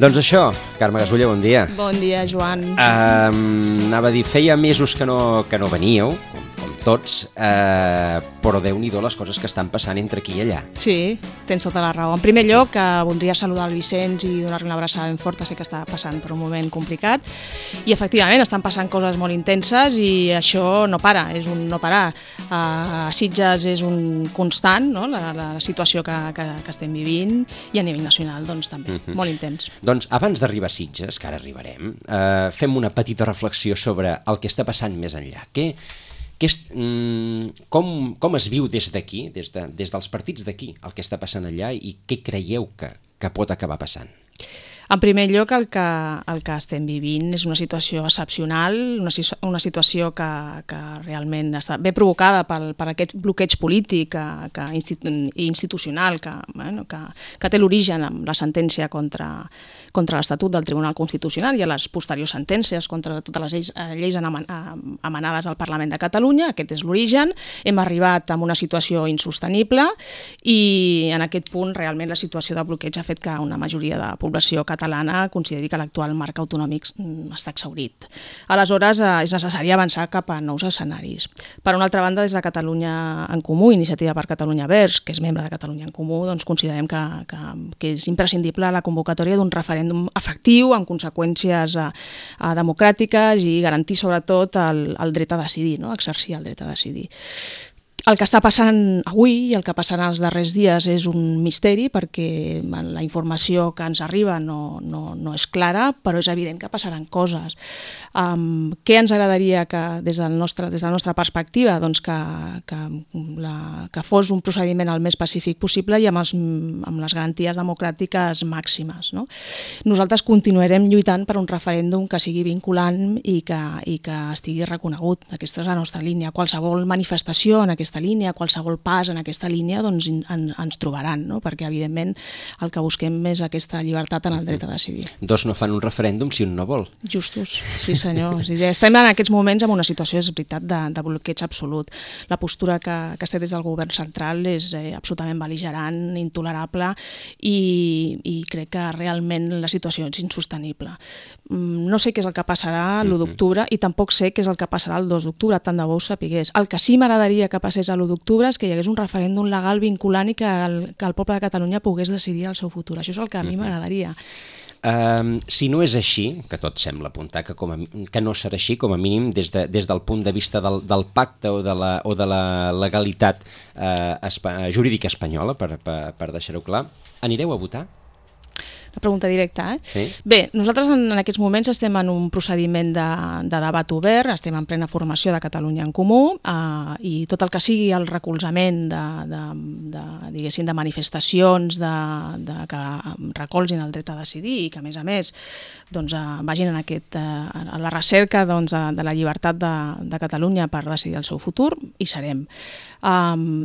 Doncs això, Carme Gasulla, bon dia. Bon dia, Joan. Anava a dir, feia mesos que no veníeu, com tots, però Déu-n'hi-do les coses que estan passant entre aquí i allà. Sí, tens tota la raó. En primer lloc, voldria saludar el Vicenç i donar-li una abraçada ben forta. Sé que està passant per un moment complicat i efectivament estan passant coses molt intenses i això no para, és un no parar. A Sitges és un constant, no? la situació que estem vivint, i a nivell nacional doncs, també, molt intens. Doncs abans d'arribar a Sitges, que ara arribarem, fem una petita reflexió sobre el que està passant més enllà. Com es viu des d'aquí, des dels partits d'aquí, el que està passant allà, i què creieu que pot acabar passant? En primer lloc, el que estem vivint és una situació excepcional, una situació que realment està ben provocada per aquest bloqueig polític i institucional que té l'origen amb la sentència contra l'Estatut del Tribunal Constitucional i a les posteriors sentències contra totes les lleis emanades al Parlament de Catalunya. Aquest és l'origen. Hem arribat a una situació insostenible i en aquest punt realment la situació de bloqueig ha fet que una majoria de la població catalana consideri que l'actual marc autonòmic està exhaurit. Aleshores, és necessari avançar cap a nous escenaris. Per una altra banda, des de Catalunya en Comú, Iniciativa per Catalunya Verds, que és membre de Catalunya en Comú, doncs considerem que és imprescindible la convocatòria d'un referèndum efectiu, amb conseqüències democràtiques i garantir sobretot el dret a decidir, no? Exercir el dret a decidir. El que està passant avui i el que passarà els darrers dies és un misteri perquè la informació que ens arriba no és clara, però és evident que passaran coses. Què ens agradaria que des de la nostra perspectiva doncs que fos un procediment el més pacífic possible i amb les garanties democràtiques màximes, no? Nosaltres continuarem lluitant per un referèndum que sigui vinculant i que estigui reconegut. Aquesta és la nostra línia. Qualsevol manifestació en aquesta línia, qualsevol pas en aquesta línia, doncs ens trobaran, no? Perquè evidentment el que busquem és aquesta llibertat en el dret a decidir. Dos no fan un referèndum si un no vol. Justos, sí senyor. Estem en aquests moments en una situació, és veritat, de bloqueig absolut. La postura que es té des del govern central és absolutament bel·ligerant, intolerable i crec que realment la situació és insostenible. No sé què és el que passarà l'1 d'octubre i tampoc sé què és el que passarà el 2 d'octubre, tant de bo ho sapigués. El que sí m'agradaria que passés a l'1 d'octubre és que hi hagués un referèndum legal vinculant i que el poble de Catalunya pogués decidir el seu futur. Això és el que a mi m'agradaria. Si no és així, que tot sembla apuntar que no serà així, com a mínim des del punt de vista del pacte o de la legalitat jurídica espanyola, per deixar-ho clar, anireu a votar? La pregunta directa, Sí. Bé, nosaltres en aquests moments estem en un procediment de debat obert, estem en plena formació de Catalunya en Comú i tot el que sigui el recolzament de manifestacions que recolzin el dret a decidir i que a més doncs, vagin a la recerca doncs, de la llibertat de Catalunya per decidir el seu futur, hi serem.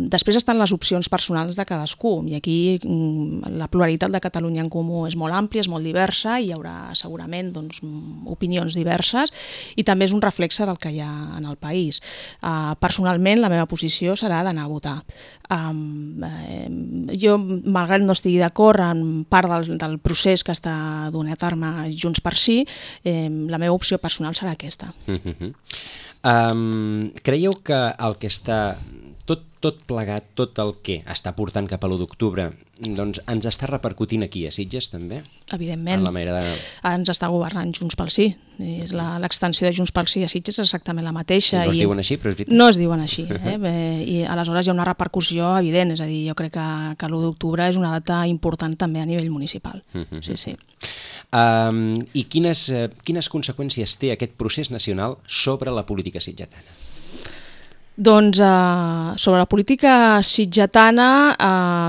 Després estan les opcions personals de cadascú i aquí la pluralitat de Catalunya en Comú és molt àmplia, és molt diversa i hi haurà segurament doncs, opinions diverses i també és un reflexe del que hi ha en el país. Personalment la meva posició serà d'anar a votar. Jo, malgrat no estigui d'acord en part del procés que està donant a terme Junts per Sí, la meva opció personal serà aquesta. Creieu que el que està tot plegat, tot el que està portant cap a l'1 d'octubre, doncs ens està repercutint aquí a Sitges també? Evidentment, ens està governant Junts pel Sí. L'extensió de Junts pel Sí a Sitges és exactament la mateixa. No es diuen així, però és veritat. No es diuen així, i aleshores hi ha una repercussió evident, és a dir, jo crec que l'1 d'octubre és una data important també a nivell municipal. Sí. I quines conseqüències té aquest procés nacional sobre la política sitgetana? Doncs sobre la política sitgetana,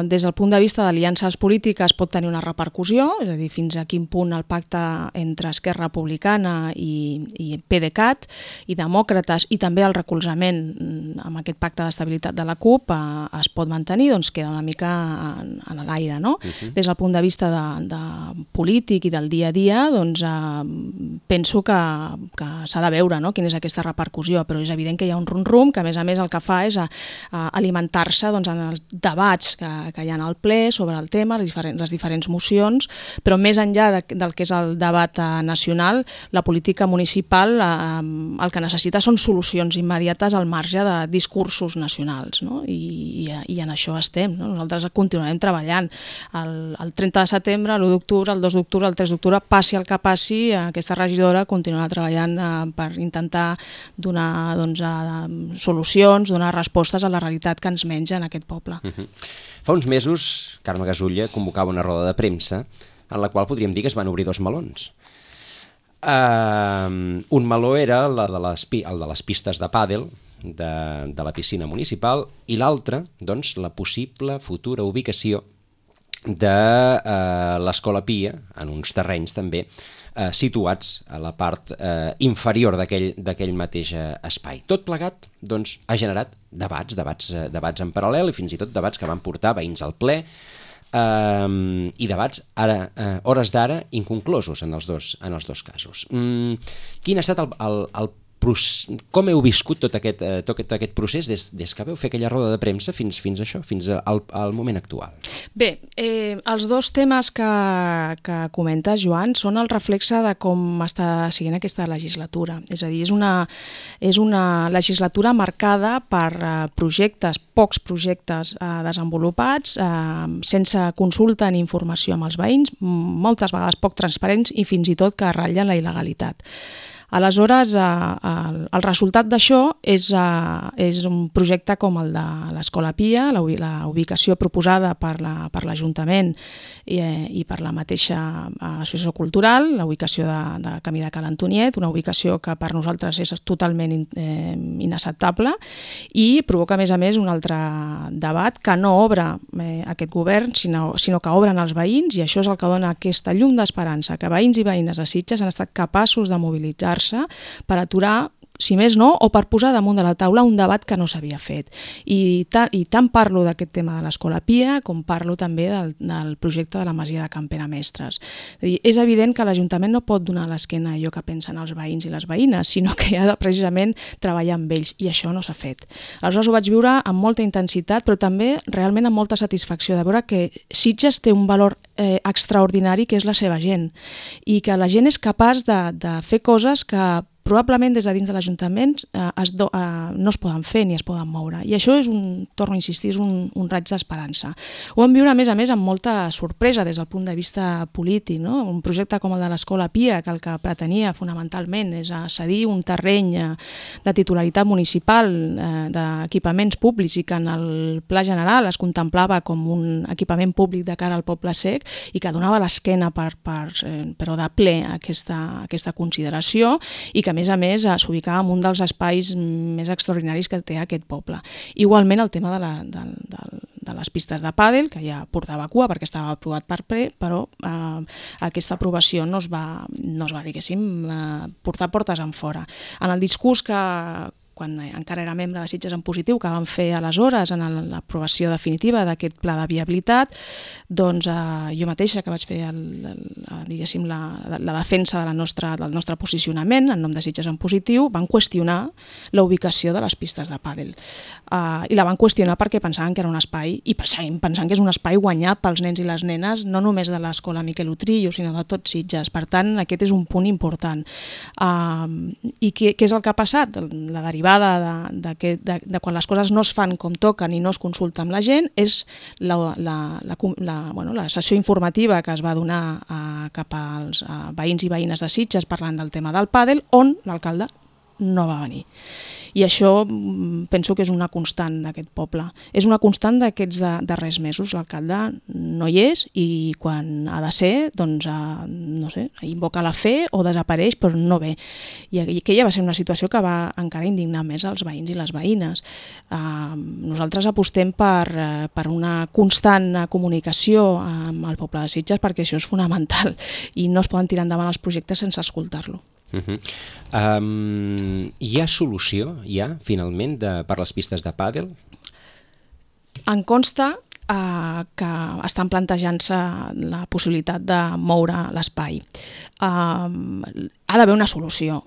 des del punt de vista d'aliances polítiques pot tenir una repercussió, és a dir, fins a quin punt el pacte entre Esquerra Republicana i PDeCAT i Demòcrates i també el recolzament amb aquest pacte d'estabilitat de la CUP es pot mantenir, doncs queda una mica en l'aire, no? Des del punt de vista de polític i del dia a dia, doncs penso que s'ha de veure, no? Quina és aquesta repercussió, però és evident que hi ha un rum-rum que a més a més el que fa és alimentar-se doncs, en els debats que hi ha al ple sobre el tema, les diferents mocions, però més enllà del que és el debat nacional, la política municipal el que necessita són solucions immediates al marge de discursos nacionals, no? I en això estem, no? Nosaltres continuarem treballant. El 30 de setembre, l'1 d'octubre, el 2 d'octubre, el 3 d'octubre, passi el que passi, aquesta regidora continuarà treballant per intentar donar solucions, donar respostes a la realitat que ens menja en aquest poble. Fa uns mesos, Carme Gasulla convocava una roda de premsa en la qual podríem dir que es van obrir dos melons. Un meló era el de les pistes de pàdel de la piscina municipal i l'altre, doncs, la possible futura ubicació de l'Escola Pia, en uns terrenys també, situats a la part inferior d'aquell mateix espai. Tot plegat doncs, ha generat debats en paral·lel i fins i tot debats que van portar veïns al ple i debats hores d'ara inconclosos en els dos casos. Quin ha estat com heu viscut tot aquest procés des que veu fer aquella roda de premsa fins al moment actual? Bé, els dos temes que comentes, Joan, són el reflexe de com està siguent aquesta legislatura. És a dir, és una legislatura marcada per pocs projectes desenvolupats, sense consulta ni informació amb els veïns, moltes vegades poc transparents i fins i tot que ratllen la il·legalitat. Aleshores, el resultat d'això és un projecte com el de l'Escola Pia, la ubicació proposada per l'Ajuntament i per la mateixa associació cultural, la ubicació de Camí de Ca l'Antoniet, una ubicació que per nosaltres és totalment inacceptable i provoca, a més, un altre debat que no obre aquest govern, sinó que obren els veïns, i això és el que dona aquesta llum d'esperança, que veïns i veïnes de Sitges han estat capaços de mobilitzar per aturar, si més no, o per posar damunt de la taula un debat que no s'havia fet. I tant parlo d'aquest tema de l'Escola Pia com parlo també del projecte de la Masia de Can Pere Mestres. És evident que l'Ajuntament no pot donar l'esquena a allò que pensen els veïns i les veïnes, sinó que ha de precisament treballar amb ells, i això no s'ha fet. Aleshores ho vaig viure amb molta intensitat, però també realment amb molta satisfacció de veure que Sitges té un valor extraordinari, que és la seva gent, i que la gent és capaç de fer coses que probablement des de dins de l'Ajuntament no es poden fer ni es poden moure. I això és torno a insistir, és un raig d'esperança. Ho vam viure, a més, amb molta sorpresa des del punt de vista polític, no? Un projecte com el de l'Escola Pia, que el que pretenia fonamentalment és cedir un terreny de titularitat municipal d'equipaments públics i que en el Pla General es contemplava com un equipament públic de cara al poble sec i que donava l'esquena però de ple a aquesta consideració, i que a més s'ubicava en un dels espais més extraordinaris que té aquest poble. Igualment el tema de les pistes de pàdel, que ja portava cua perquè estava aprovat per ple, però aquesta aprovació no es va diguéssim, portar portes enfora. En el discurs quan encara era membre de Sitges en Positiu, que vam fer aleshores en l'aprovació definitiva d'aquest pla de viabilitat, doncs jo mateixa, que vaig fer diguéssim la defensa del nostre posicionament en nom de Sitges en Positiu, van qüestionar la ubicació de les pistes de pàdel. I la van qüestionar perquè pensaven que era un espai, i seguim pensant que és un espai guanyat pels nens i les nenes, no només de l'Escola Miquel Utrillo, sinó de tot Sitges. Per tant, aquest és un punt important. I què és el que ha passat? La derivada de quan les coses no es fan com toquen i no es consulta amb la gent és la sessió informativa que es va donar cap als veïns i veïnes de Sitges parlant del tema del pàdel, on l'alcalde no va venir. I això penso que és una constant d'aquest poble. És una constant d'aquests darrers mesos. L'alcalde no hi és i quan ha de ser, doncs, no sé, invoca la fe o desapareix, però no ve. I aquella va ser una situació que va encara indignar més els veïns i les veïnes. Nosaltres apostem per una constant comunicació amb el poble de Sitges perquè això és fonamental i no es poden tirar endavant els projectes sense escoltar-lo. Hi ha solució, finalment, per les pistes de pàdel? Em consta que estan plantejant-se la possibilitat de moure l'espai. Ha d'haver una solució.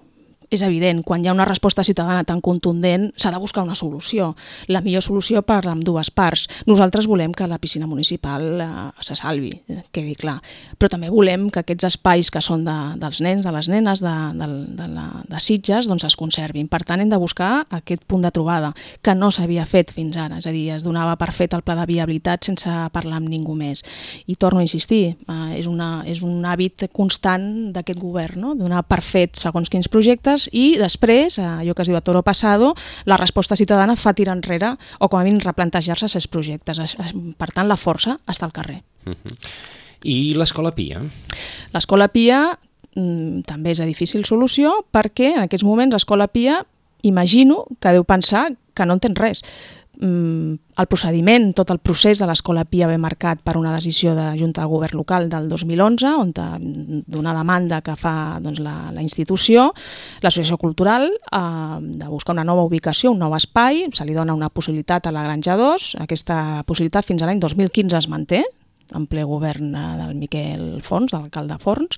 és evident, quan hi ha una resposta ciutadana tan contundent s'ha de buscar una solució. La millor solució per a ambdues parts. Nosaltres volem que la piscina municipal se salvi, quedi clar, però també volem que aquests espais que són dels nens, de les nenes, de Sitges, doncs es conservin. Per tant, hem de buscar aquest punt de trobada, que no s'havia fet fins ara, és a dir, es donava per fet el pla de viabilitat sense parlar amb ningú més. I torno a insistir, és un hàbit constant d'aquest govern, no? Donar per fet segons quins projectes i després, allò que es diu a toro pasado, la resposta ciutadana fa tirar enrere o com a mínim replantejar-se aquests projectes. Per tant, la força està al carrer. I l'Escola Pia? L'Escola Pia també és de difícil solució perquè en aquests moments l'Escola Pia imagino que deu pensar que no entén res. El procediment, tot el procés de l'Escola Pia ve marcat per una decisió de Junta de Govern local del 2011, on d'una demanda que fa la institució, l'associació cultural, de buscar una nova ubicació, un nou espai, se li dona una possibilitat a la Granja 2, aquesta possibilitat fins a l'any 2015 es manté, en ple govern del Miquel Forns, de l'alcalde Forns,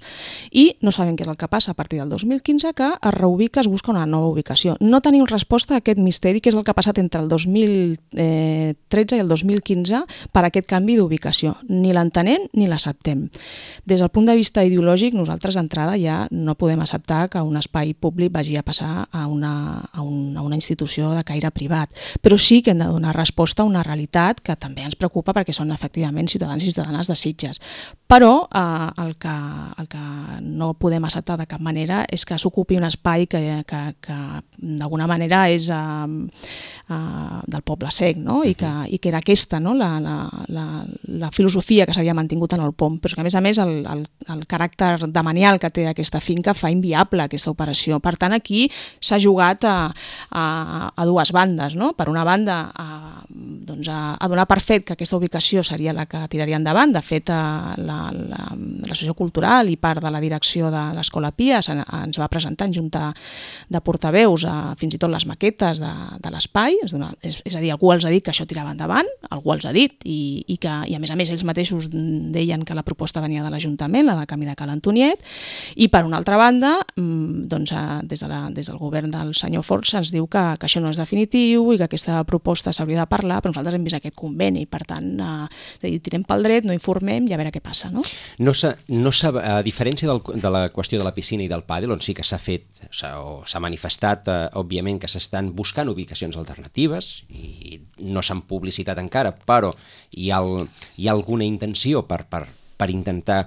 i no sabem què és el que passa a partir del 2015, que es reubica, es busca una nova ubicació. No tenim resposta a aquest misteri, que és el que ha passat entre el 2013 i el 2015 per aquest canvi d'ubicació. Ni l'entenem ni l'acceptem. Des del punt de vista ideològic, nosaltres d'entrada ja no podem acceptar que un espai públic vagi a passar a una institució de caire privat, però sí que hem de donar resposta a una realitat que també ens preocupa perquè són efectivament ciutadans i ciutadanes de Sitges. Però el que no podem acceptar de cap manera és que s'ocupi un espai que d'alguna manera és del poble sec, no? I que era aquesta, no? la filosofia que s'havia mantingut en el POM, però que a més el caràcter demanial que té aquesta finca fa inviable aquesta operació. Per tant, aquí s'ha jugat a dues bandes, no? Per una banda, a donar per fet que aquesta ubicació seria la que tiraria endavant. De fet, l'associació cultural i part de la direcció de l'Escola Pia ens va presentar en junta de portaveus fins i tot les maquetes de l'espai, és a dir, algú els ha dit que això tirava endavant, algú els ha dit, i a més ells mateixos deien que la proposta venia de l'Ajuntament, la de Camí de Cal Antoniet, i per una altra banda, des del govern del senyor Forns se'ns diu que això no és definitiu i que aquesta proposta s'hauria de parlar, però nosaltres hem vist aquest conveni, per tant, tirem pel dret, no informem i a veure què passa. No? A diferència de la qüestió de la piscina i del pàdel, on sí que s'ha fet o s'ha manifestat, òbviament, que s'estan buscant ubicacions alternatives i no s'han publicitat encara, però hi ha alguna intenció per intentar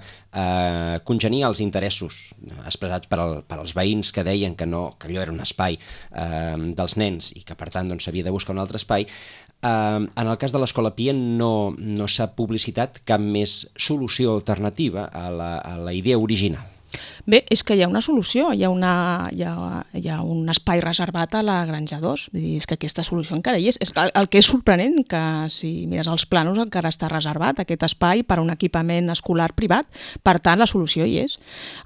congeniar els interessos expressats per als veïns que deien que allò era un espai dels nens i que per tant s'havia de buscar un altre espai. En el cas de l'Escola Pia no s'ha publicitat cap més solució alternativa a la idea original. Bé, és que hi ha una solució, hi ha un espai reservat a la Granja 2, vull dir, és que aquesta solució encara hi és. El que és sorprenent, que si mires els plànols encara està reservat aquest espai per a un equipament escolar privat, per tant la solució hi és.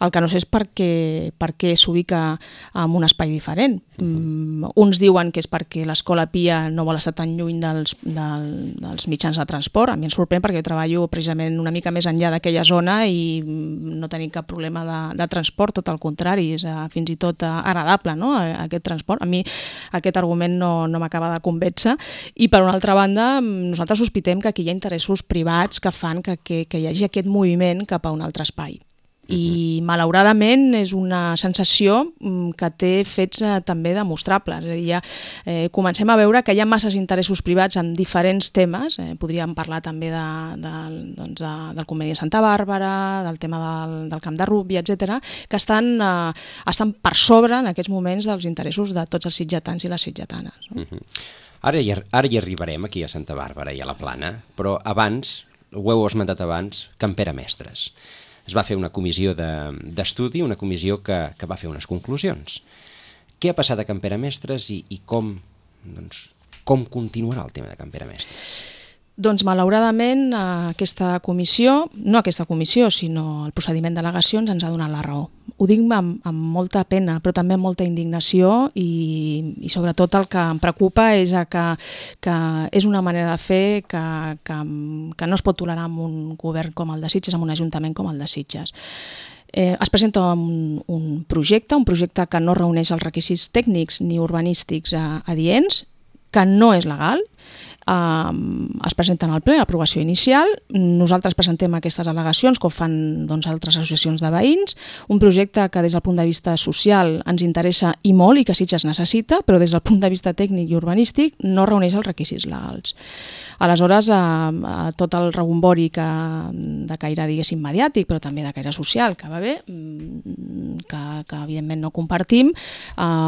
El que no sé és per què s'ubica en un espai diferent. Uns diuen que és perquè l'Escola Pia no vol estar tan lluny dels mitjans de transport. A mi em sorprèn perquè jo treballo precisament una mica més enllà d'aquella zona i no tenim cap problema de transport, tot el contrari, és fins i tot agradable, no? Aquest transport. A mi aquest argument no m'acaba de convèncer i per una altra banda nosaltres sospitem que aquí hi ha interessos privats que fan que hi hagi aquest moviment cap a un altre espai. I malauradament és una sensació que té fets també demostrables. És a dir, comencem a veure que hi ha masses interessos privats en diferents temes. Podríem parlar també del conveni de Santa Bàrbara, del tema del camp de rugbi, etc., que estan per sobre en aquests moments dels interessos de tots els sitgetans i les sitgetanes. Ara hi arribarem aquí a Santa Bàrbara i a la Plana, però abans, ho heu esmentat abans, Can Pere Mestres. Es va fer una comissió d'estudi, una comissió que va fer unes conclusions. Què ha passat a Can Pere Mestres i com continuarà el tema de Can Pere Mestres? Doncs malauradament aquesta comissió, no aquesta comissió, sinó el procediment d'al·legacions ens ha donat la raó. Ho dic amb molta pena, però també amb molta indignació i sobretot el que em preocupa és que és una manera de fer que no es pot tolerar amb un govern com el de Sitges, amb un ajuntament com el de Sitges. Es presenta un projecte que no reuneix els requisits tècnics ni urbanístics adients, que no és legal, es presenten al ple, l'aprovació inicial, nosaltres presentem aquestes al·legacions com fan altres associacions de veïns, un projecte que des del punt de vista social ens interessa i molt i que Sitges necessita, però des del punt de vista tècnic i urbanístic no reuneix els requisits legals. Aleshores, tot el rebombori de caire, diguéssim, mediàtic, però també de caire social, que va bé, que evidentment no compartim,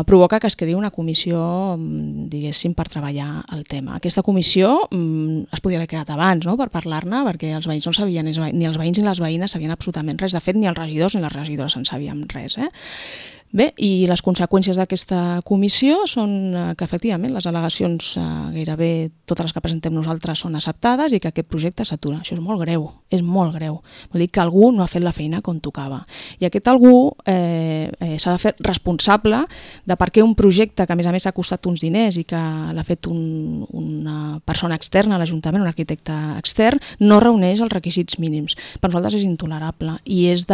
provoca que es creï una comissió, diguéssim, per treballar el tema. Aquesta comissió es podia haver creat abans, no?, per parlar-ne, perquè els veïns no sabien, ni els veïns ni les veïnes sabien absolutament res. De fet, ni els regidors ni les regidores en sabíem res. Bé, i les conseqüències d'aquesta comissió són que, efectivament, les al·legacions gairebé totes les que presentem nosaltres són acceptades i que aquest projecte s'atura. Això és molt greu, és molt greu. Vol dir que algú no ha fet la feina com tocava. I aquest algú s'ha de fer responsable de per què un projecte que, a més, ha costat uns diners i que l'ha fet una persona externa a l'Ajuntament, un arquitecte extern, no reuneix els requisits mínims. Per nosaltres és intolerable i és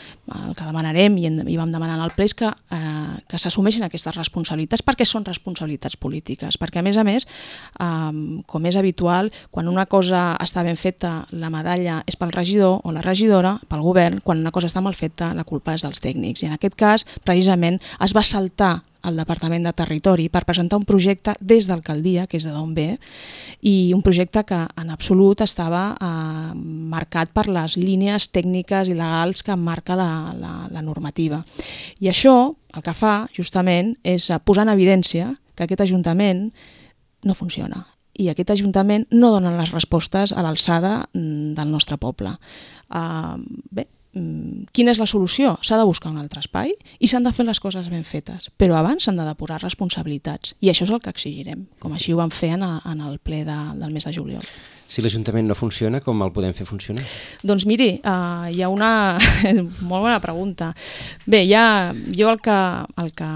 el que demanarem i vam demanar al ple és que s'assumeixin aquestes responsabilitats, perquè són responsabilitats polítiques, perquè a més, com és habitual, quan una cosa està ben feta la medalla és pel regidor o la regidora, pel govern, quan una cosa està mal feta la culpa és dels tècnics, i en aquest cas precisament es va saltar al Departament de Territori per presentar un projecte des d'alcaldia, que és d'on ve, i un projecte que en absolut estava marcat per les línies tècniques i legals que marca la normativa. I això el que fa justament és posar en evidència que aquest Ajuntament no funciona i aquest Ajuntament no dona les respostes a l'alçada del nostre poble. Bé, quina és la solució? S'ha de buscar un altre espai i s'han de fer les coses ben fetes, però abans s'han de depurar responsabilitats i això és el que exigirem, com així ho vam fer en el ple del mes de juliol. Si l'Ajuntament no funciona, com el podem fer funcionar? Doncs miri, hi ha una molt bona pregunta. Bé, jo el que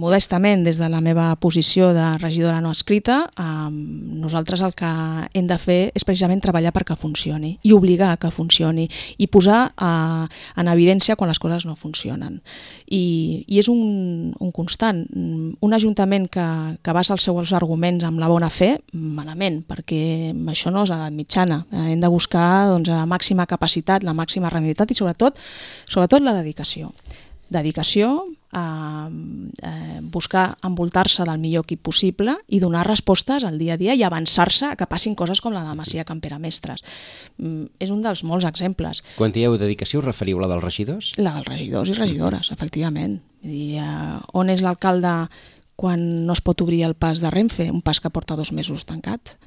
modestament, des de la meva posició de regidora no escrita, nosaltres el que hem de fer és precisament treballar perquè funcioni i obligar que funcioni i posar en evidència quan les coses no funcionen. I és un constant. Un ajuntament que basa els seus arguments amb la bona fe, malament, perquè això no és edat mitjana. Hem de buscar la màxima capacitat, la màxima rendibilitat i sobretot la dedicació. Dedicació, buscar envoltar-se del millor equip possible i donar respostes al dia a dia i avançar-se a que passin coses com la de Masia Campera Mestres. És un dels molts exemples. Quan dieu dedicació, us referiu a la dels regidors? La dels regidors i regidores, efectivament. On és l'alcalde quan no es pot obrir el pas de Renfe, un pas que porta 2 mesos tancat?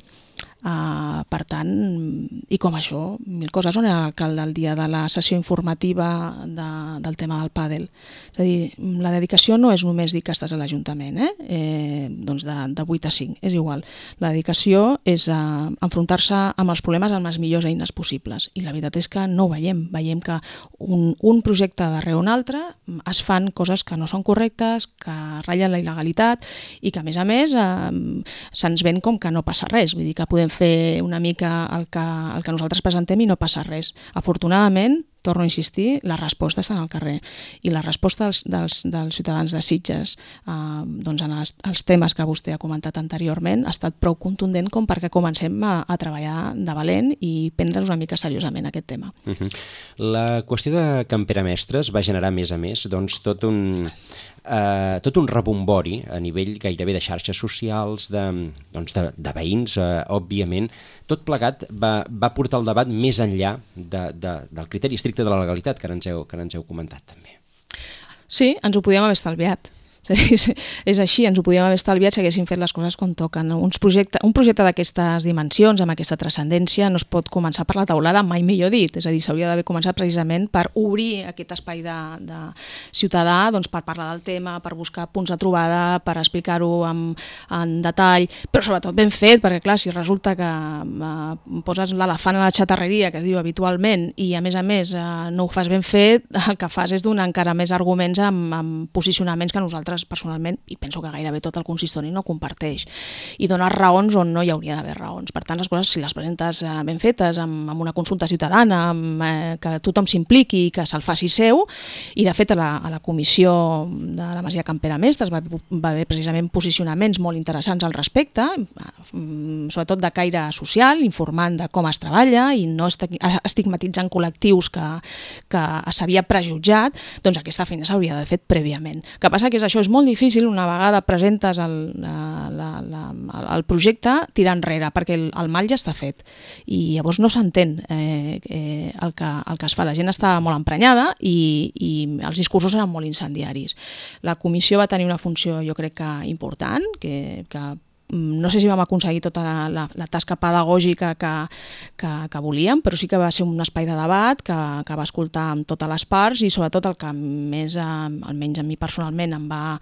Per tant, i com això, mil coses. On era l'alcalde el dia de la sessió informativa del tema del pàdel? És a dir, la dedicació no és només dir que estàs a l'Ajuntament, doncs de 8 a 5, és igual. La dedicació és enfrontar-se amb els problemes amb les millors eines possibles. I la veritat és que no ho veiem. Veiem que un projecte darrere un altre es fan coses que no són correctes, que ratllen la il·legalitat i que, a més, se'ns ven com que no passa res. Vull dir que podem fer una mica el que nosaltres presentem i no passa res. Afortunadament, torno a insistir, la resposta està al carrer i la resposta dels ciutadans de Sitges en els temes que vostè ha comentat anteriorment ha estat prou contundent com perquè comencem a treballar de valent i prendre'ns una mica seriosament aquest tema. La qüestió de Campera Mestres va generar, a més, tot un rebombori a nivell gairebé de xarxes socials, de veïns, òbviament. Tot plegat va portar el debat més enllà del criteri estricte de la legalitat que ara ens heu comentat també. Sí, ens ho podíem haver estalviat. És així, ens ho podíem haver estalviat si haguéssim fet les coses com toquen. Un projecte d'aquestes dimensions, amb aquesta transcendència, no es pot començar per la taulada, mai millor dit. És a dir, s'hauria d'haver començat precisament per obrir aquest espai de ciutadà, per parlar del tema, per buscar punts de trobada, per explicar-ho en detall, però sobretot ben fet, perquè clar, si resulta que poses l'elefant a la xatarreria, que es diu habitualment, i a més no ho fas ben fet, el que fas és donar encara més arguments amb posicionaments que nosaltres nosaltres personalment, i penso que gairebé tot el consistori no comparteix, i donar raons on no hi hauria d'haver raons. Per tant, les coses, si les presentes ben fetes, amb una consulta ciutadana, que tothom s'impliqui, que se'l faci seu, i de fet a la comissió de la Masia Can Pere Mestres va haver precisament posicionaments molt interessants al respecte, sobretot de caire social, informant de com es treballa i no estigmatitzant col·lectius que s'havia prejutjat, doncs aquesta feina s'hauria d'haver fet prèviament. El que passa que això és molt difícil una vegada presentes el projecte tirar enrere, perquè el mal ja està fet i llavors no s'entén el que es fa. La gent està molt emprenyada i els discursos eren molt incendiaris. La comissió va tenir una funció, jo crec que important, que no sé si vam aconseguir tota la tasca pedagògica que volíem, però sí que va ser un espai de debat que va escoltar amb totes les parts i sobretot el que més, almenys a mi personalment, em va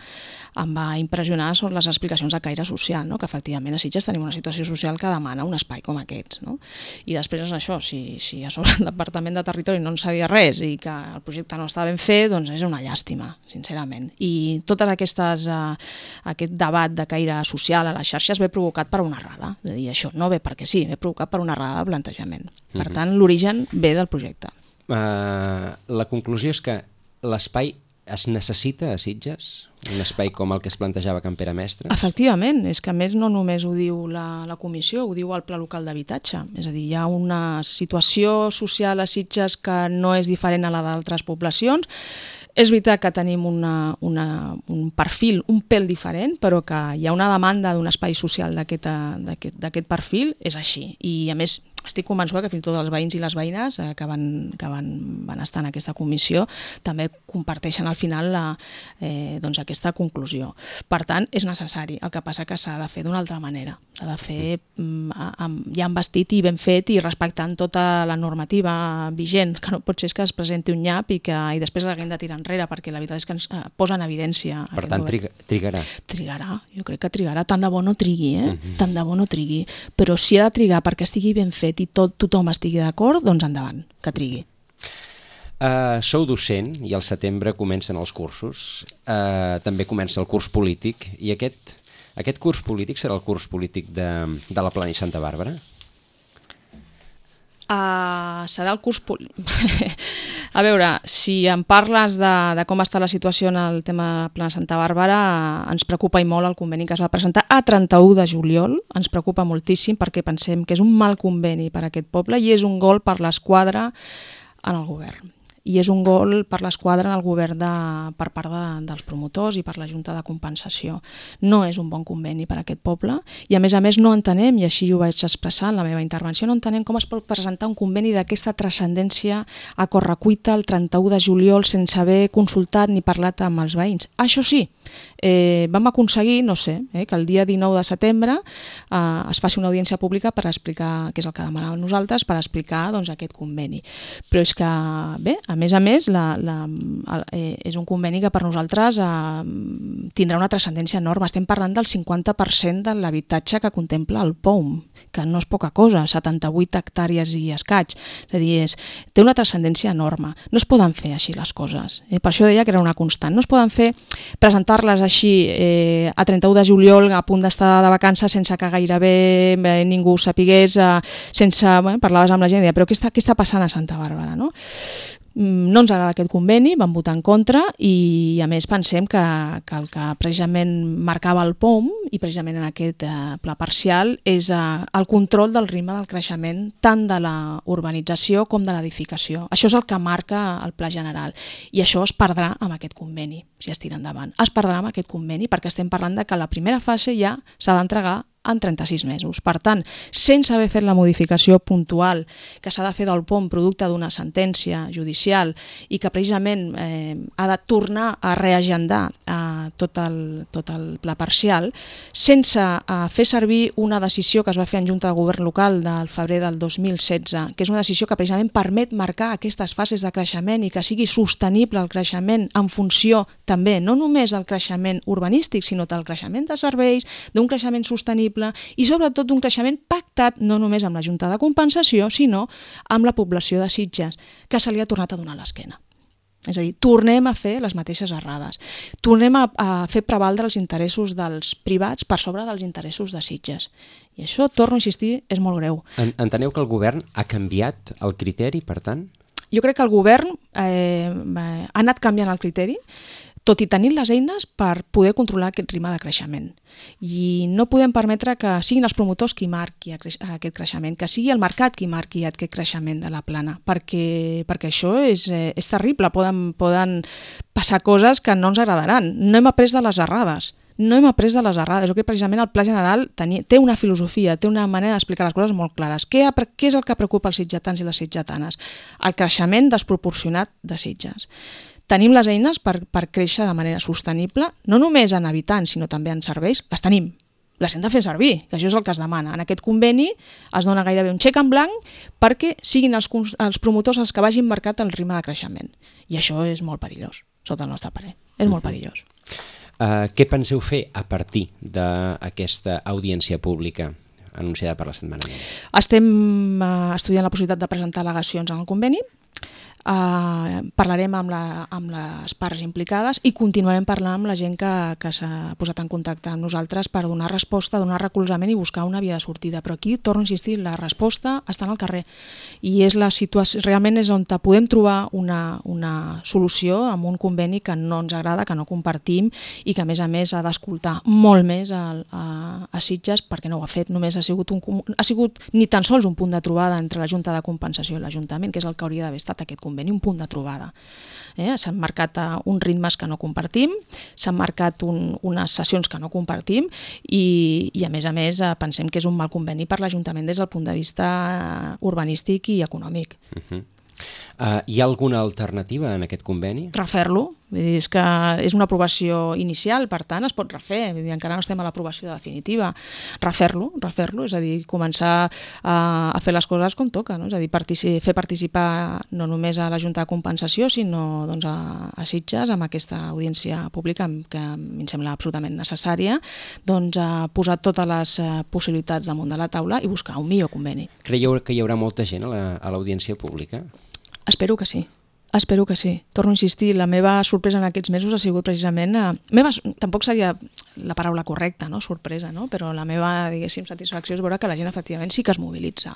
impressionar són les explicacions de caire social, no? Que efectivament a Sitges tenim una situació social que demana un espai com aquests, no? I després és això, si a sobre el Departament de Territori no en sabia res i que el projecte no estava ben fet, doncs és una llàstima, sincerament. I tot aquest debat de caire social a les xarxes ve provocat per una errada, és a dir, això no ve perquè sí, ve provocat per una errada de plantejament. Per tant, l'origen ve del projecte. La conclusió és que l'espai es necessita a Sitges? Un espai com el que es plantejava Can Pere Mestres? Efectivament, és que a més no només ho diu la comissió, ho diu el Pla Local d'Habitatge. És a dir, hi ha una situació social a Sitges que no és diferent a la d'altres poblacions. És veritat que tenim un perfil un pèl diferent, però que hi ha una demanda d'un espai social d'aquest perfil, és així. I a més, estic convençuda que fins i tot els veïns i les veïnes que van estar en aquesta comissió també comparteixen al final aquesta conclusió. Per tant, és necessari. El que passa que s'ha de fer d'una altra manera. S'ha de fer ja amb vestit i ben fet i respectant tota la normativa vigent, que no pot ser que es presenti un nyap i després l'haguem de tirar enrere, perquè la veritat és que ens posa en evidència. Per tant, trigarà. Trigarà, jo crec que trigarà. Tant de bo no trigui, tant de bo no trigui. Però si ha de trigar perquè estigui ben fet i tothom estigui d'acord, doncs endavant, que trigui. Sou docent i al setembre comencen els cursos. També comença el curs polític. I aquest curs polític serà el curs polític de la Plana i Santa Bàrbara? Serà el curs a veure, si em parles de com està la situació en el tema de la Plana Santa Bàrbara, ens preocupa i molt el conveni que es va presentar a 31 de juliol, ens preocupa moltíssim perquè pensem que és un mal conveni per a aquest poble i és un gol per l'esquadra en el govern. I és un gol per l'esquadra en el govern per part dels promotors i per la Junta de Compensació. No és un bon conveni per a aquest poble i a més no entenem, i així ho vaig expressar en la meva intervenció, no entenem com es pot presentar un conveni d'aquesta transcendència a correcuita el 31 de juliol sense haver consultat ni parlat amb els veïns. Això sí, vam aconseguir, no sé, que el dia 19 de setembre es faci una audiència pública per explicar, que és el que demanàvem nosaltres, per explicar aquest conveni. Però és que, bé, a més, és un conveni que per nosaltres tindrà una transcendència enorme. Estem parlant del 50% de l'habitatge que contempla el POUM, que no és poca cosa, 78 hectàrees i escaig. És a dir, té una transcendència enorme. No es poden fer així les coses. Per això deia que era una constant. No es poden fer, presentar-les així a 31 de juliol a punt d'estar de vacances sense que gairebé ningú sapigués, parlaves amb la gent i deia, però què està passant a Santa Bàrbara, no? No ens agrada aquest conveni, vam votar en contra i a més pensem que el que precisament marcava el POUM i precisament en aquest pla parcial és el control del ritme del creixement tant de la urbanització com de l'edificació. Això és el que marca el pla general i això es perdrà amb aquest conveni, si es tira endavant. Es perdrà amb aquest conveni perquè estem parlant de que la primera fase ja s'ha d'entregar en 36 mesos. Per tant, sense haver fet la modificació puntual que s'ha de fer del POM producte d'una sentència judicial i que precisament ha de tornar a reagendar tot el pla parcial, sense fer servir una decisió que es va fer en Junta de Govern Local del febrer del 2016, que és una decisió que precisament permet marcar aquestes fases de creixement i que sigui sostenible el creixement en funció també no només del creixement urbanístic, sinó del creixement de serveis, d'un creixement sostenible i sobretot d'un creixement pactat no només amb la Junta de Compensació, sinó amb la població de Sitges, que se li ha tornat a donar l'esquena. És a dir, tornem a fer les mateixes errades. Tornem a fer prevaldre els interessos dels privats per sobre dels interessos de Sitges. I això, torno a insistir, és molt greu. Enteneu que el govern ha canviat el criteri, per tant? Jo crec que el govern ha anat canviant el criteri, tot i tenir les eines per poder controlar aquest ritme de creixement. I no podem permetre que siguin els promotors qui marqui aquest creixement, que sigui el mercat qui marqui aquest creixement de la plana, perquè això és terrible, poden passar coses que no ens agradaran. No hem après de les errades. Jo crec que precisament el Pla General té una filosofia, té una manera d'explicar les coses molt clares. Què és el que preocupa els sitgetans i les sitgetanes? El creixement desproporcionat de Sitges. Tenim les eines per créixer de manera sostenible, no només en habitants, sinó també en serveis. Les tenim, les hem de fer servir, que això és el que es demana. En aquest conveni es dona gairebé un xec en blanc perquè siguin els promotors els que vagin marcat el ritme de creixement. I això és molt perillós, sota el nostre parer. És molt perillós. Què penseu fer a partir d'aquesta audiència pública anunciada per la setmana vinent? Estem estudiant la possibilitat de presentar al·legacions en el conveni. Parlarem amb les parts implicades i continuarem parlant amb la gent que s'ha posat en contacte amb nosaltres per donar resposta, donar recolzament i buscar una via de sortida. Però aquí, torno a insistir, la resposta està en el carrer i és la situació, realment és on podem trobar una solució amb un conveni que no ens agrada, que no compartim i que a més ha d'escoltar molt més a Sitges, perquè no ho ha fet, només ha sigut ni tan sols un punt de trobada entre la Junta de Compensació i l'Ajuntament, que és el que hauria d'haver estat aquest conveni, un punt de trobada. S'han marcat uns ritmes que no compartim, s'han marcat unes sessions que no compartim i a més pensem que és un mal conveni per l'Ajuntament des del punt de vista urbanístic i econòmic. Hi ha alguna alternativa en aquest conveni? Refer-lo. És que és una aprovació inicial, per tant es pot refer, encara no estem a l'aprovació definitiva. Refer-lo, és a dir, començar a fer les coses com toca, no? És a dir, fer participar no només a la Junta de Compensació, sinó a Sitges, amb aquesta audiència pública que em sembla absolutament necessària, posar totes les possibilitats damunt de la taula i buscar un millor conveni. Creieu que hi haurà molta gent a l'audiència pública? Espero que sí. Torno a insistir, la meva sorpresa en aquests mesos ha sigut precisament... tampoc seria la paraula correcta, no? Sorpresa, no? Però la meva, diguéssim, satisfacció és veure que la gent efectivament sí que es mobilitza.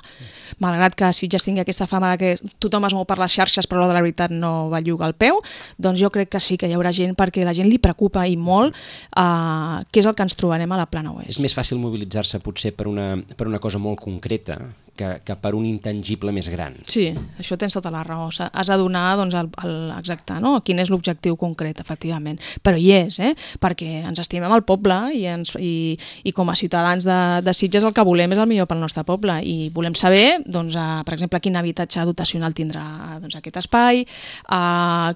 Malgrat que Sitges tingui aquesta fama de que tothom es mou per les xarxes però de la veritat no belluga el peu, doncs jo crec que sí que hi haurà gent perquè la gent li preocupa i molt què és el que ens trobarem a la Plana Oest. És més fàcil mobilitzar-se potser per una cosa molt concreta que per un intangible més gran. Sí, això tens tota la raó. Has de donar exacte, no? Quin és l'objectiu concret, efectivament. Però hi és, perquè ens estimem el poble i com a ciutadans de Sitges el que volem és el millor pel nostre poble i volem saber, per exemple, quin habitatge dotacional tindrà aquest espai,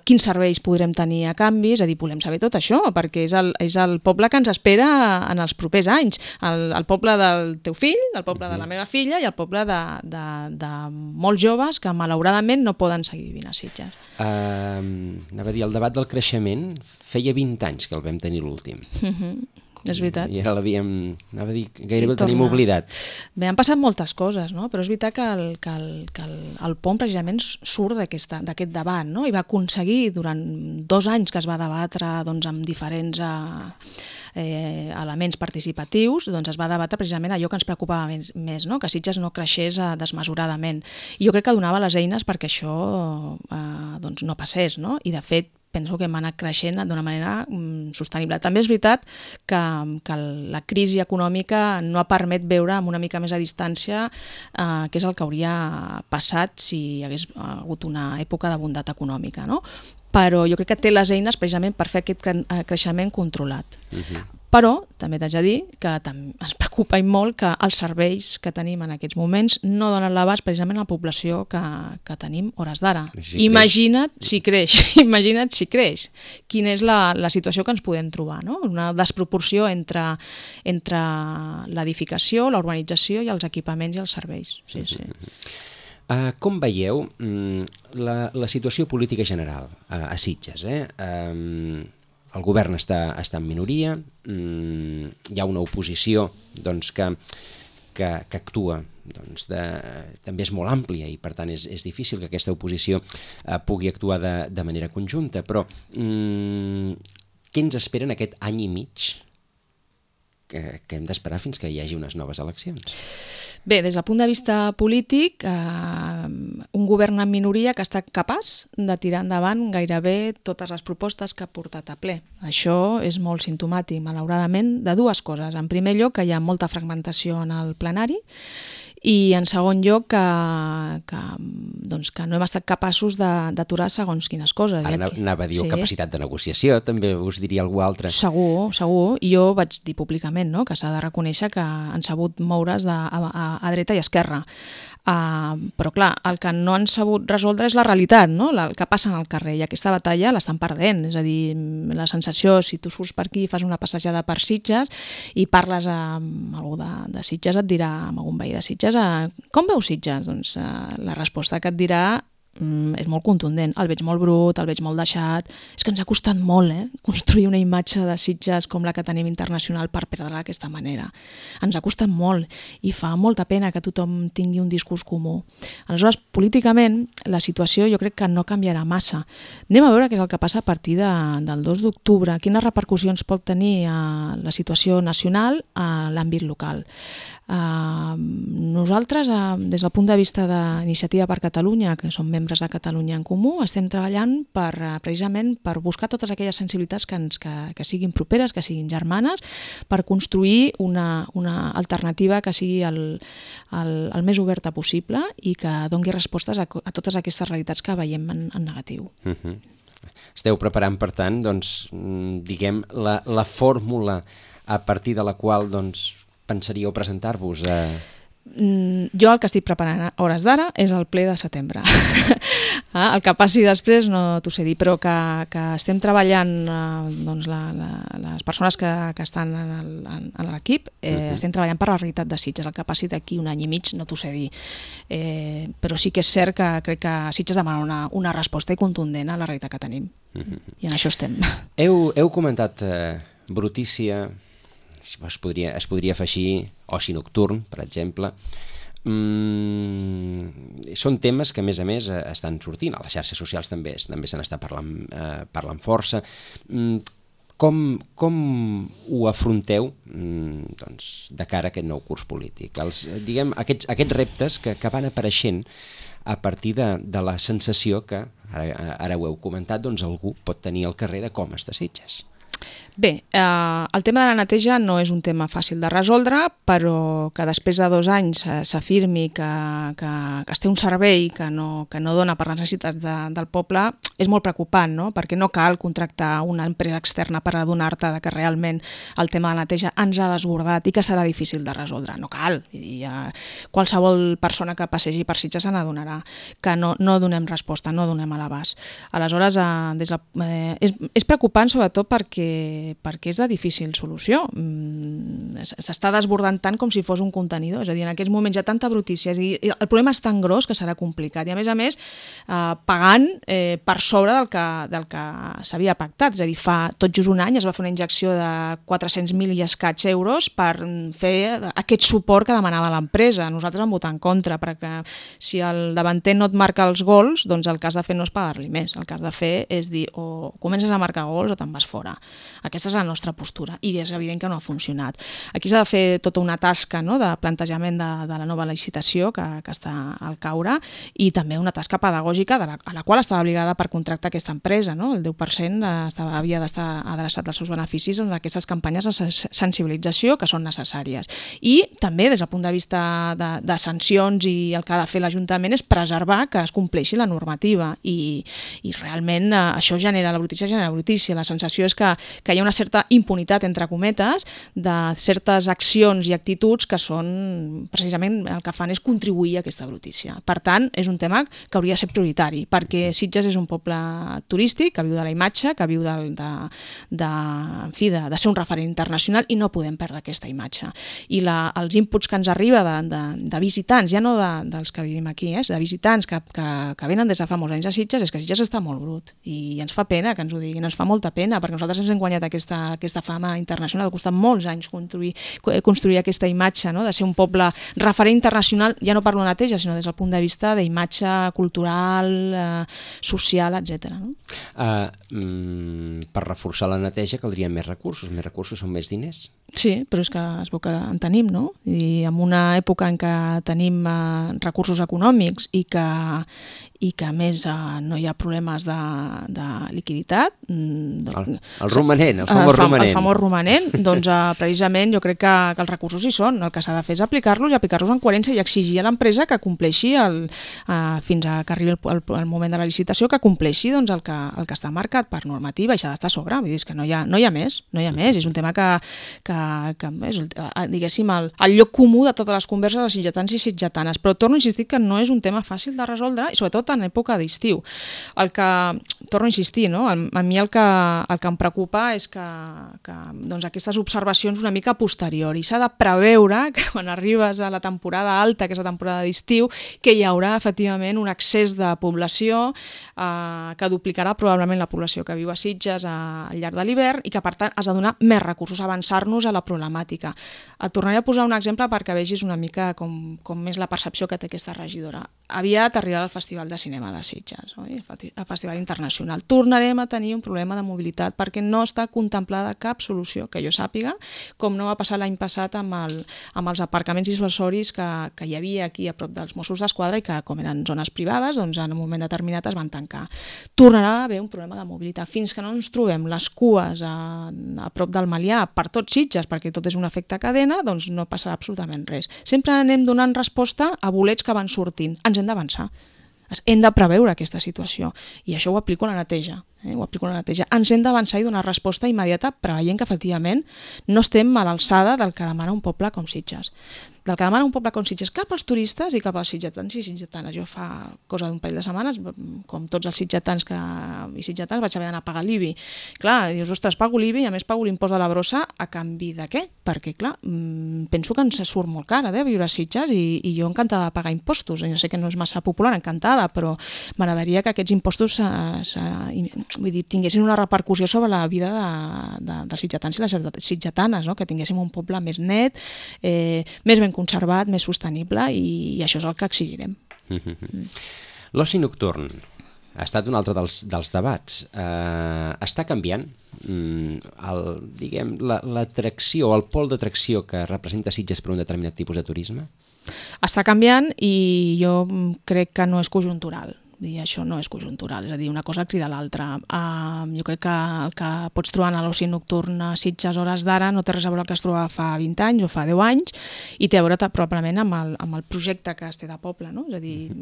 quins serveis podrem tenir a canvi, és a dir, volem saber tot això, perquè és el poble que ens espera en els propers anys. El poble del teu fill, el poble de la meva filla i el poble de molts joves que malauradament no poden seguir vivint a Sitges. Anava a dir, el debat del creixement feia 20 anys que el vam tenir l'últim. És veritat. I ara l'havíem, anava a dir, gairebé el tenim oblidat. Bé, han passat moltes coses, no? Però és veritat que el POM precisament surt d'aquest debat, no? I va aconseguir durant 2 anys que es va debatre amb diferents elements participatius, es va debatre precisament allò que ens preocupava més, no? Que Sitges no creixés desmesuradament. I jo crec que donava les eines perquè això no passés, no? I de fet penso que hem anat creixent d'una manera sostenible. També és veritat que la crisi econòmica no ha permet veure amb una mica més a distància què és el que hauria passat si hi hagués hagut una època de bondat econòmica, no? Però jo crec que té les eines precisament per fer aquest creixement controlat. Però també t'haig de dir que ens preocupa i molt que els serveis que tenim en aquests moments no donen l'abast precisament a la població que tenim hores d'ara. Imagina't si creix. Quina és la situació que ens podem trobar, no? Una desproporció entre l'edificació, la urbanització i els equipaments i els serveis. Sí. Com veieu la situació política general a Sitges? El govern està en minoria, hi ha una oposició que que actua també és molt àmplia i per tant és difícil que aquesta oposició pugui actuar de manera conjunta, però què ens espera en aquest any i mig que hem d'esperar fins que hi hagi unes noves eleccions? Bé, des del punt de vista polític, un govern en minoria que està capaç de tirar endavant gairebé totes les propostes que ha portat a ple. Això és molt simptomàtic, malauradament, de dues coses. En primer lloc, que hi ha molta fragmentació en el plenari, i en segon lloc que no hem estat capaços d'aturar segons quines coses. Ara anava a dir capacitat de negociació, també us diria algú altre. Segur. I jo vaig dir públicament que s'ha de reconèixer que han sabut moure's a dreta i esquerra. Però clar, el que no han sabut resoldre és la realitat, no? El que passa en el carrer, i aquesta batalla l'estan perdent. És a dir, la sensació, si tu surts per aquí i fas una passejada per Sitges i parles amb algú de Sitges, et dirà, amb algun veí de Sitges, com veus Sitges? Doncs la resposta que et dirà és molt contundent. El veig molt brut, el veig molt deixat. És que ens ha costat molt construir una imatge de Sitges com la que tenim internacional per perdre-la d'aquesta manera. Ens ha costat molt i fa molta pena que tothom tingui un discurs comú. Aleshores, políticament, la situació jo crec que no canviarà massa. Anem a veure què és el que passa a partir del 2 d'octubre, quines repercussions pot tenir la situació nacional a l'àmbit local. Nosaltres, des del punt de vista d'Iniciativa per Catalunya, que som membres de Catalunya en Comú, estem treballant precisament per buscar totes aquelles sensibilitats que siguin properes, que siguin germanes, per construir una alternativa que sigui el més oberta possible i que doni respostes a totes aquestes realitats que veiem en negatiu. Esteu preparant, per tant, diguem, la fórmula a partir de la qual pensaríeu presentar-vos a... Jo el que estic preparant a hores d'ara és el ple de setembre. El que passi després no t'ho sé dir, però que estem treballant, les persones que estan en l'equip, estem treballant per la realitat de Sitges. El que passi d'aquí un any i mig no t'ho sé dir. Però sí que és cert que crec que Sitges demana una resposta i contundent a la realitat que tenim. I en això estem. Heu comentat brutícia, es podria afegir oci nocturn, per exemple. Són temes que, a més, estan sortint. A les xarxes socials també se n'està parlant força. Com ho afronteu de cara a aquest nou curs polític? Aquests reptes que van apareixent a partir de la sensació que, ara ho heu comentat, algú pot tenir al carrer de com està Sitges. Bé, el tema de la neteja no és un tema fàcil de resoldre, però que després de 2 anys s'afirmi que es té un servei que no dona per les necessitats del poble és molt preocupant, no? Perquè no cal contractar una empresa externa per adonar-te que realment el tema de la neteja ens ha desbordat i que serà difícil de resoldre. No cal. Qualsevol persona que passegi per Sitges se n'adonarà que no donem resposta, no donem a l'abast. Aleshores, és preocupant sobretot perquè és de difícil solució. S'està desbordant tant com si fos un contenidor. És a dir, en aquests moments hi ha tanta brutícia. És a dir, el problema és tan gros que serà complicat. I a més, pagant per sobre del que s'havia pactat. És a dir, fa tot just un any es va fer una injecció de 400.000 i escaig euros per fer aquest suport que demanava l'empresa. Nosaltres vam votar en contra, perquè si el davanter no et marca els gols, doncs el que has de fer no és pagar-li més. El que has de fer és dir, o comences a marcar gols o te'n vas fora. Aquesta és la nostra postura i és evident que no ha funcionat. Aquí s'ha de fer tota una tasca de plantejament de la nova licitació que està al caure i també una tasca pedagògica a la qual estava obligada per contractar aquesta empresa. El 10% havia d'estar adreçat als seus beneficis en aquestes campanyes de sensibilització que són necessàries. I també des del punt de vista de sancions i el que ha de fer l'Ajuntament és preservar que es compleixi la normativa i realment això genera la brutícia. La sensació és que hi ha una certa impunitat, entre cometes, de certes accions i actituds que són, precisament, el que fan és contribuir a aquesta brutícia. Per tant, és un tema que hauria de ser prioritari, perquè Sitges és un poble turístic que viu de la imatge, que viu de ser un referent internacional i no podem perdre aquesta imatge. I els inputs que ens arriba de visitants, ja no dels que vivim aquí, de visitants que venen des de fa molts anys a Sitges, és que Sitges està molt brut i ens fa pena que ens ho diguin, ens fa molta pena, perquè nosaltres ens hem guanyat aquesta fama internacional. Ha costat molts anys construir construir aquesta imatge, no? De ser un poble referent internacional, ja no parlo de neteja, sinó des del punt de vista d'imatge cultural, social, etc. No? Per reforçar la neteja caldrien més recursos són més diners. Sí, però és que es veu que en tenim, no? I en una època en què tenim recursos econòmics i que a més no hi ha problemes de liquiditat. El romanent, el famós romanent. Doncs precisament jo crec que els recursos hi són. El que s'ha de fer és aplicar-los i aplicar-los en coherència i exigir a l'empresa que compleixi fins a que arribi el moment de la licitació, que compleixi doncs, el que està marcat per normativa i s'ha d'estar a sobre. Vull dir que no hi ha més. És un tema que és, diguéssim, el lloc comú de totes les converses de sitgetans i sitgetanes. Però torno a insistir que no és un tema fàcil de resoldre i sobretot en època d'estiu. Torno a insistir, no? A mi el que em preocupa és que doncs aquestes observacions una mica a posteriori. S'ha de preveure que quan arribes a la temporada alta, que és la temporada d'estiu, que hi haurà efectivament un excés de població que duplicarà probablement la població que viu a Sitges al llarg de l'hivern i que per tant has de donar més recursos, avançar-nos a la problemàtica. Et tornaré a posar un exemple perquè vegis una mica com és la percepció que té aquesta regidora. Aviat arribarà el Festival de Cinema de Sitges, oi? El Festival Internacional. Tornarem a tenir un problema de mobilitat perquè no està contemplada cap solució que jo sàpiga, com no va passar l'any passat amb els aparcaments dissuasoris que hi havia aquí a prop dels Mossos d'Esquadra i que, com eren zones privades, doncs en un moment determinat es van tancar. Tornarà a haver un problema de mobilitat. Fins que no ens trobem les cues a prop del Malià per tots Sitges, perquè tot és un efecte cadena, doncs no passarà absolutament res. Sempre anem donant resposta a bolets que van sortint. Ens hem d'avançar. Hem de preveure aquesta situació i això ho aplico a la neteja. Ens hem d'avançar i donar resposta immediata preveient que efectivament no estem a l'alçada del que demana un poble com Sitges. Del que demana un poble com Sitges cap als turistes i cap als sitgetans i sitgetanes. Jo fa cosa d'un parell de setmanes, com tots els sitgetans i sitgetans, vaig haver d'anar a pagar l'IBI. Clar, dius, ostres, pago l'IBI i a més pago l'impost de la brossa a canvi de què? Perquè, clar, penso que ens surt molt cara viure a Sitges i jo encantada de pagar impostos. Jo sé que no és massa popular, encantada, però m'agradaria que aquests impostos tinguessin una repercussió sobre la vida dels sitgetans i les sitgetanes, no? Que tinguéssim un poble més net, més ben conservat, més sostenible i això és el que exigirem. L'oci nocturn ha estat un altre dels debats. Està canviant l'atracció, el pol d'atracció que representa Sitges per un determinat tipus de turisme? Està canviant i jo crec que no és conjuntural. Això no és conjuntural, és a dir, una cosa crida l'altra. Jo crec que el que pots trobar en l'oci nocturn a Sitges a hores d'ara no té res a veure el que es trobava fa 20 anys o fa 10 anys i té a veure probablement amb el projecte que es té de poble, no? És a dir,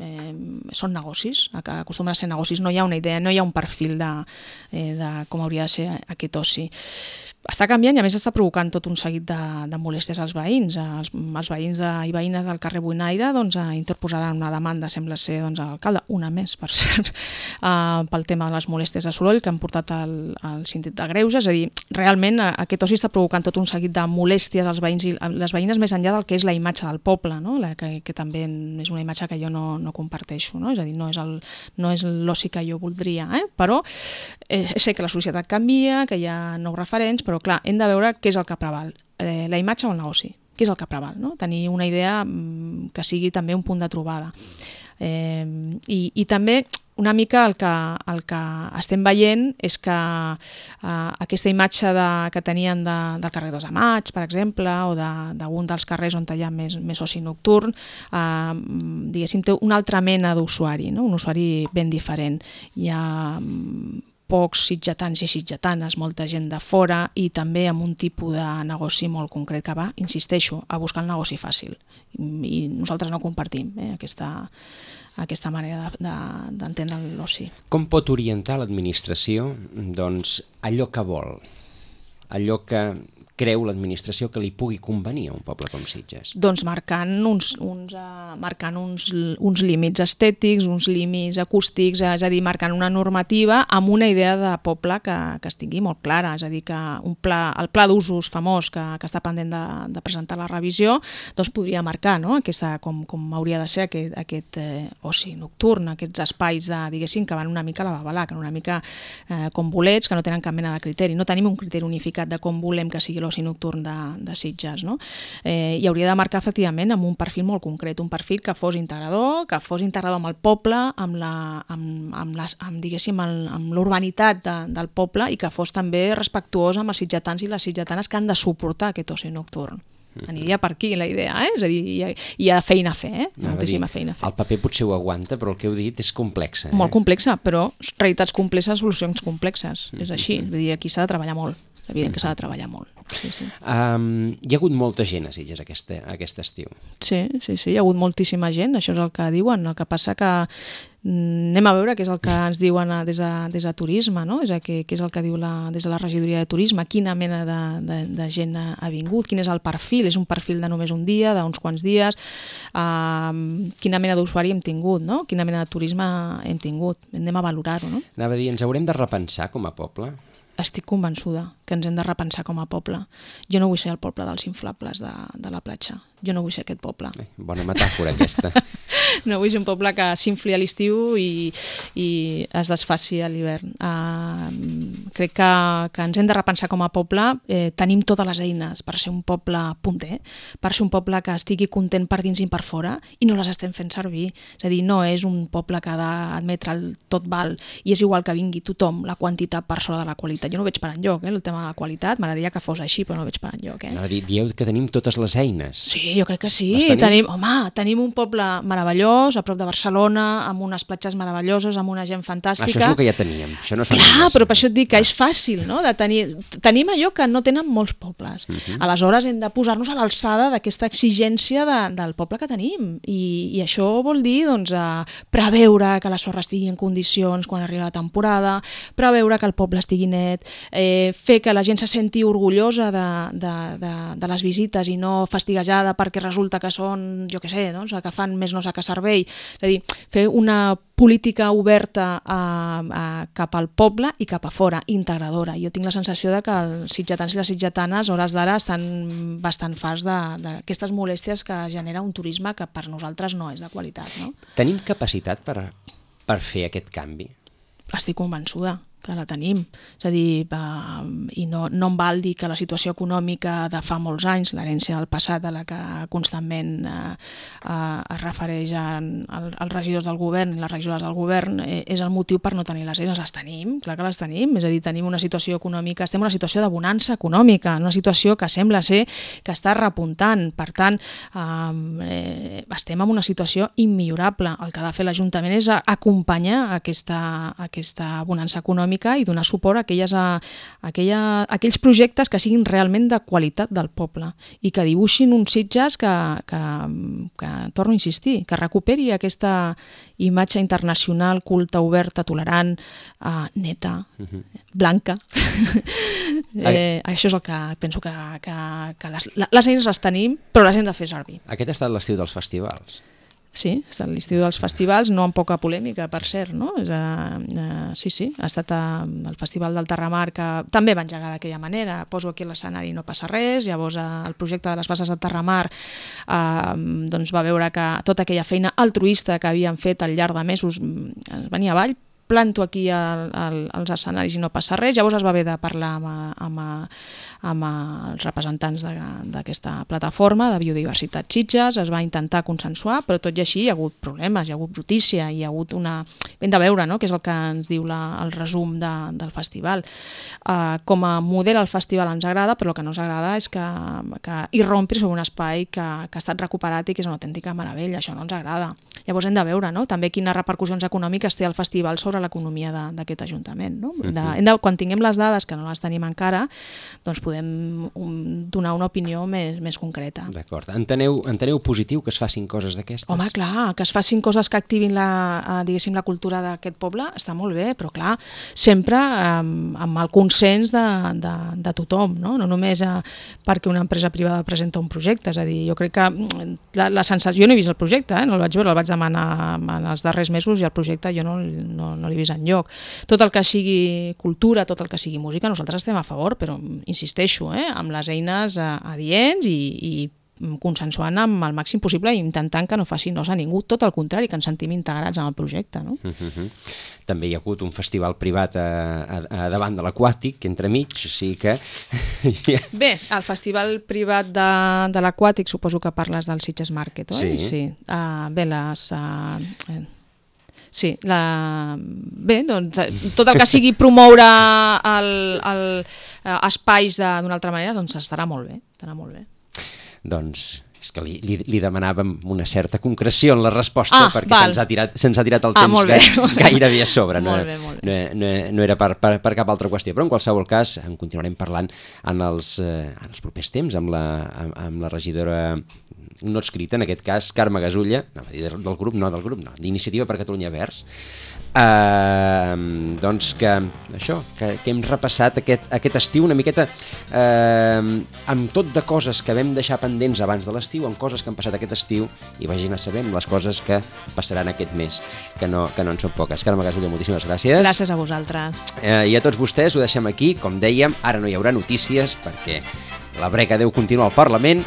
són negocis, que acostumen a ser negocis, no hi ha una idea, no hi ha un perfil de com hauria de ser aquest oci. Està canviant i a més està provocant tot un seguit de molèsties als veïns. Els veïns i veïnes del carrer Buinaire interposaran una demanda, sembla ser, a l'alcalde, una més, per cert, pel tema de les molèsties de soroll que han portat al síndic de Greuges. És a dir, realment aquest oci està provocant tot un seguit de molèsties als veïns i les veïnes més enllà del que és la imatge del poble, no? Que també és una imatge que jo no comparteixo, no? És a dir, no és l'oci que jo voldria, però sé que la societat canvia, que hi ha nous referents, però clar, hem de veure què és el que preval, la imatge o el negoci, què és el que preval, no? Tenir una idea que sigui també un punt de trobada. I també una mica el que estem veient és que aquesta imatge que tenien del carrer 2 de Maig, per exemple, o d'algun dels carrers on hi ha més oci nocturn, diguéssim, té una altra mena d'usuari, no? Un usuari ben diferent. Hi ha pocs sitgetans i sitgetanes, molta gent de fora i també amb un tipus de negoci molt concret que va, insisteixo, a buscar el negoci fàcil. I nosaltres no compartim aquesta manera d'entendre l'oci. Com pot orientar l'administració allò que vol, allò que creu l'administració que li pugui convenir a un poble com Sitges? Doncs marcant uns límits estètics, uns límits acústics, és a dir, marcant una normativa amb una idea de poble que es tingui molt clara, és a dir, que el pla d'usos famós que està pendent de presentar la revisió, doncs podria marcar, no? Com hauria de ser aquest oci nocturn, aquests espais diguéssim, que van una mica a la babalà, que una mica com bolets, que no tenen cap mena de criteri. No tenim un criteri unificat de com volem que sigui l'oci nocturn de Sitges, no? I hauria de marcar efectivament amb un perfil molt concret, un perfil que fos integrador amb el poble, amb l'urbanitat del poble i que fos també respectuós amb els sitgetans i les sitgetanes que han de suportar aquest oci nocturn. Aniria per aquí la idea, és a dir, hi ha feina a fer, moltíssima feina a fer. El paper potser ho aguanta, però el que heu dit és complexa. Molt complexa, però realitats complexes, solucions complexes, és així, és a dir, aquí s'ha de treballar molt, és evident que s'ha de treballar molt. Sí. Hi ha hagut molta gent a Sitges aquest estiu. Sí, hi ha hagut moltíssima gent, això és el que diuen, el que passa que anem a veure què és el que ens diuen des de turisme, no? Què és el que diu des de la regidoria de turisme, quina mena de gent ha vingut, quin és el perfil, és un perfil de només un dia, d'uns quants dies, quina mena d'usuari hem tingut, no? Quina mena de turisme hem tingut, anem a valorar-ho, no? Anava a dir, ens haurem de repensar com a poble? Estic convençuda que ens hem de repensar com a poble. Jo no vull ser el poble dels inflables de la platja. Jo no vull ser aquest poble. Bona metàfora aquesta. No vull ser un poble que s'infli a l'estiu i es desfaci a l'hivern. Crec que ens hem de repensar com a poble. Tenim totes les eines per ser un poble punter, per ser un poble que estigui content per dins i per fora i no les estem fent servir. És a dir, no és un poble que ha d'admetre el tot val i és igual que vingui tothom, la quantitat per sobre de la qualitat. Jo no ho veig per enlloc, el tema de la qualitat, m'agradaria que fos així, però no ho veig per enlloc. Dieu que tenim totes les eines. Sí, jo crec que sí. Tenim un poble meravellós, a prop de Barcelona, amb unes platges meravelloses, amb una gent fantàstica. Això és el que ja teníem. Clar, però per això et dic que és fàcil, no? Tenim allò que no tenen molts pobles. Aleshores hem de posar-nos a l'alçada d'aquesta exigència del poble que tenim. I això vol dir preveure que la sorra estigui en condicions quan arriba la temporada, preveure que el poble estigui net, fer que la gent se senti orgullosa de les visites i no fastiguejada perquè resulta que són, jo què sé, que fan més nosa que servei. És a dir, fer una política oberta cap al poble i cap a fora, integradora. Jo tinc la sensació de que els sitgetans i les sitgetanes, a hores d'ara, estan bastant farts d'aquestes molèsties que genera un turisme que per nosaltres no és de qualitat. No? Tenim capacitat per fer aquest canvi? Estic convençuda que la tenim. És a dir, i no em val dir que la situació econòmica de fa molts anys, l'herència del passat a la que constantment es refereix als regidors del govern i les regidores del govern, és el motiu per no tenir les eines. Les tenim, clar que les tenim. És a dir, tenim una situació econòmica, estem en una situació de bonança econòmica, una situació que sembla ser que està repuntant. Per tant, estem en una situació immillorable. El que ha de fer l'Ajuntament és acompanyar aquesta bonança econòmica i donar suport a aquells projectes que siguin realment de qualitat del poble i que dibuixin uns Sitges que torno a insistir, que recuperi aquesta imatge internacional, culta, oberta, tolerant, neta, blanca. Això és el que penso que les eines les tenim, però les hem de fer servir. Aquest ha estat l'estiu dels festivals. Sí, ha estat l'estiu dels festivals, no amb poca polèmica, per cert, no? Sí, ha estat el Festival del Terramar, que també va engegar d'aquella manera, poso aquí l'escenari i no passa res, llavors el projecte de les bases del Terramar va veure que tota aquella feina altruista que havien fet al llarg de mesos venia avall, planto aquí als escenaris i no passa res. Llavors es va haver de parlar amb els representants d'aquesta plataforma de biodiversitat Sitges, es va intentar consensuar, però tot i així hi ha hagut problemes, hi ha hagut brutícia, hi ha hagut una... Hem de veure, no?, què és el que ens diu el resum del festival. Com a model el festival ens agrada, però el que no ens agrada és que irrompri sobre un espai que ha estat recuperat i que és una autèntica meravella. Això no ens agrada. Llavors hem de veure, no?, també quines repercussions econòmiques té el festival sobre l'economia d'aquest Ajuntament. No? Quan tinguem les dades, que no les tenim encara, doncs podem donar una opinió més concreta. D'acord. Enteneu positiu que es facin coses d'aquestes? Home, clar, que es facin coses que activin la cultura d'aquest poble està molt bé, però clar, sempre amb el consens de tothom, no només perquè una empresa privada presenta un projecte. És a dir, jo crec que la sensació... Jo no he vist el projecte, no el vaig veure, el vaig demanar en els darrers mesos i el projecte jo no l'he vist enlloc. Tot el que sigui cultura, tot el que sigui música, nosaltres estem a favor, però insisteixo, amb les eines adients i consensuant amb el màxim possible i intentant que no faci nos a ningú, tot el contrari, que ens sentim integrats en el projecte. No? També hi ha hagut un festival privat a davant de l'Aquàtic, entremig, o sigui que... Bé, el festival privat de l'Aquàtic, suposo que parles del Sitges Market, oi? Sí. Bé, bé, doncs tot el que sigui promoure espais d'una altra manera, doncs estarà molt bé. Doncs és que li demanàvem una certa concreció en la resposta perquè se'ns ha tirat el temps gairebé a sobre. No era per cap altra qüestió, però en qualsevol cas en continuarem parlant en els propers temps amb la regidora no adscrita, en aquest cas Carme Gasulla, del grup, d'Iniciativa per Catalunya Verds, doncs que hem repassat aquest estiu una miqueta amb tot de coses que vam deixar pendents abans de l'estiu, amb coses que han passat aquest estiu i vagin a saber les coses que passaran aquest mes, que no en són poques. Carme Gasulla, moltíssimes gràcies. Gràcies a vosaltres. I a tots vostès ho deixem aquí, com dèiem, ara no hi haurà notícies perquè la brega deu continuar al Parlament.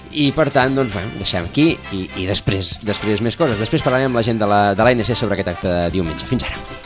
I per tant, doncs, deixem aquí i després més coses. Després parlarem amb la gent de l'ANC sobre aquest acte de diumenge. Fins ara.